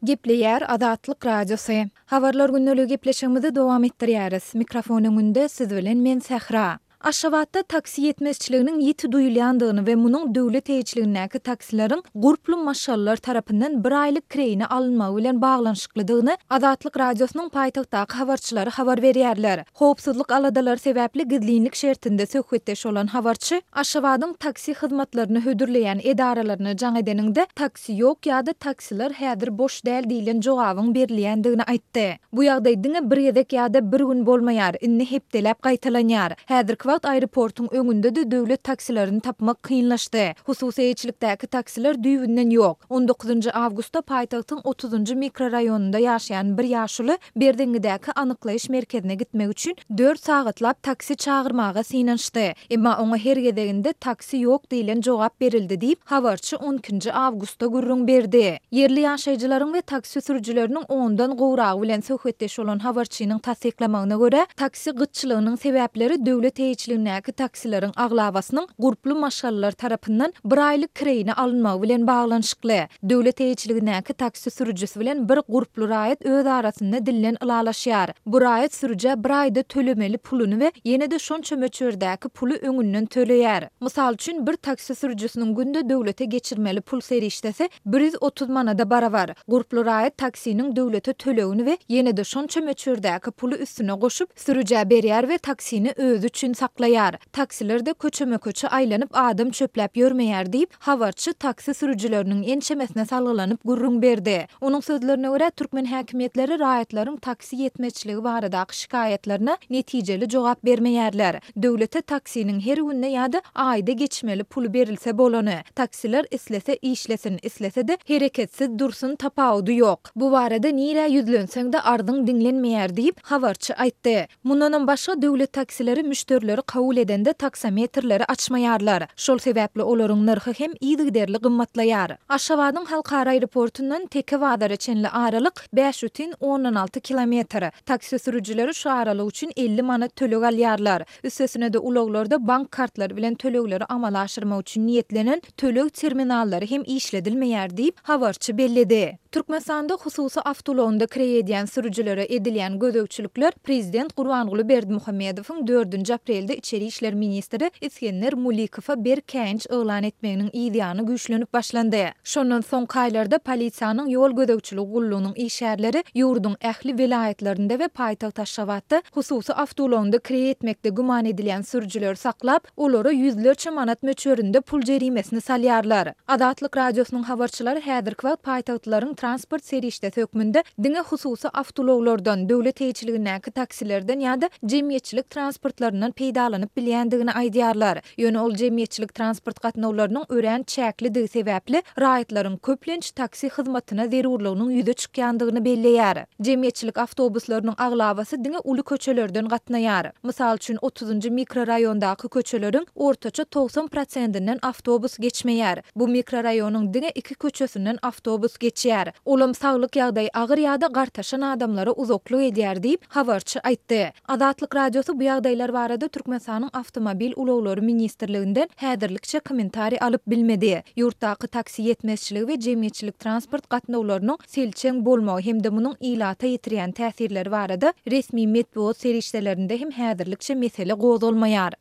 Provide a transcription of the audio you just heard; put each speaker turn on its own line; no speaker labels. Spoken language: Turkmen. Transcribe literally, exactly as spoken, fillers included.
Gepleýär Azatlyk Radiosy. Habarlar gündeligi gepleşigimizi dowam etdirýäris. Mikrofon öňünde siz bilen men Sähra. Aşgabatda taksi ýetmezçiliginiň ýiti duýulýandygyny we munuň döwlet eýeçiligindäki taksileriň gurply maşgalalar tarapyndan bir aýlyk kireýine alynmagy bilen baglanyşyklydygyny Azatlyk Radiosynyň paýtagtdaky habarçylary habar berýärler. Howpsuzlyk aladalary sebäpli gizlinlik şertinde söhbetdeş bolan habarçy Aşgabadyň taksi hyzmatlaryny hödürleýän edaralaryna jaň edeniňde taksi ýok ýa-da taksiler häzir boş däl diýlen jogabyň berilýändigini aýtdy. Bu ýagdaý diňe bir gezek ýa-da bir gün bolmaýar, indi hepdeläp gaýtalanýar. Häzirki wagt aeroportuň öňünde-de döwlet taksilerini tapmak kynlaşdy. Hususy eýeçilikdäki taksiler düýbünden ýok. On dokuzynjy awgustda paýtagtyň otuzynjy mikroraýonynda ýaşaýan bir ýaşuly Berzeňňidäki anyklaýyş merkezine gitmek üçin dört sagatlap taksi çagyrmaga synanyşdy. Emma oňa her gezeginde taksi ýok diýlen jogap berildi diýip, habarçy on ikinji awgustda gürrüň berdi. Ýerli ýaşaýjylaryň we taksi sürüjileriniň ondan gowragy bilen söhbetdeş bolan habarçynyň tassyklamagyna görä, taksi gytçylygynyň sebäpleri döwlet eýeçiligindäki taksileriň aglabasynyň gurply maşgalalar tarapyndan bir aýlyk kireýine alynmagy bilen baglanyşykly. Döwlet eýeçiligindäki taksi sürüjisi bilen bir gurply raýat öz arasynda dilden ylalaşýar. Bu raýat sürüjä bir aýda tölemeli puluny we ýene-de şonça möçberdäki puly öňünden töleýär. Mysal üçin, bir taksi sürüjisiniň günde döwlete geçirmeli pul serişdesi bir ýüz otuz manada barabar. Gurply raýat taksiniň döwlete tölegini we ýene-de şonça möçberdäki puly üstüne goşup, sürüjä berýär we taksini özi üçin saklaýar. Taksiler-de köçeme-köçe aýlanyp adam çöpläp ýörmeýär diýip, habarçy taksi sürüjileriniň ençemesine salgylanyp gürrüň berdi. Onuň sözlerine görä, türkmen häkimiýetleri raýatlaryň taksi ýetmezçiligi baradaky şikaýatlaryna netijeli jogap bermeýärler. Döwlete taksiniň her günde ýa-da aýda geçmeli puly berilse bolany. Taksiler islese işlesin, islese-de hereketsiz dursun tapawudy ýok. Bu barada nirä ýüzlenseň-de arzyň diňlenmeýär diýip, habarçy aýtdy. Mundanam başga döwlet taksileri müşderileri kabul edende taksometrleri açmaýarlar. Şol sebäpli olaryň nyrhy hem yzygiderli gymmatlaýar. Aşgabadyň halkara aeroportundan Teke bazara çenli aralyk bäş bütin ondan alty kilometr. Taksi sürüjileri şu aralyk üçin elli manat töleg alýarlar. Üstesine-de ulaglarda bank kartlary bilen tölegleri amala aşyrmak üçin niýetlenen töleg terminallary hem işledilmeýär diýip, habarçy belledi. Türkmenistanda hususy awtoulagynda kireý edýän sürüjilere edilýän gözegçilikler prezident Gurbanguly Berdimuhamedowyň dördünji aprelde içeri işler ministri Isgender Mulikowa berk käýinç yglan etmeginiň yzýany güýçlenip başlandy. Şondan soňky aýlarda polisiýanyň ýol gözegçiligi gullugynyň işgärleri ýurduň ähli welaýatlarynda we paýtagt Aşgabatda hususy awtoulagynda kireý etmekde güman edilýän sürüjileri saklap, olara ýüzlerçe manat möçberinde pul jerimesini salýarlar. Azatlyk Radiosynyň habarçylary häzirki wagt paýtagtlylaryň transport serişdesi hökmünde diňe hususy awtoulaglardan, döwlet eýeçiligindäki taksilerden ýa-da jemgyýetçilik transportlaryndan peýdalanyp bilýändigini aýdýarlar. Ýöne ol jemgyýetçilik transport gatnawlarynyň örän çäklidigi sebäpli raýatlaryň köplenç taksi hyzmatyna zerurlygynyň ýüze çykýandygyny belleýär. Jemgyýetçilik awtobuslarynyň aglabasy diňe uly köçelerden gatnaýar. Mysal üçin, otuzynjy mikroraýondaky köçeleriň ortaça togsan prosentinden awtobus geçmeýär. Bu mikroraýonyň diňe iki köçesinden awtobus geçýär. Olam saglyk ýagdaýy agyr ýa-da gartaşan adamlara uzaklyk edýär diýip, habarçy aýtdy. Azatlyk Radiosy bu ýagdaýlar barada Türkmenistanyň Awtomobil ulaglary ministrliginden häzirlikçe kommentariý alyp bilmedi. Ýurtdaky taksi ýetmezçiligi we jemgyýetçilik transport gatnawlarynyň selçeň bolmagy hem-de munuň ilata ýetirýän täsirleri barada resmi metbugat serişdelerinde hem häzirlikçe mesele gozgalmaýar.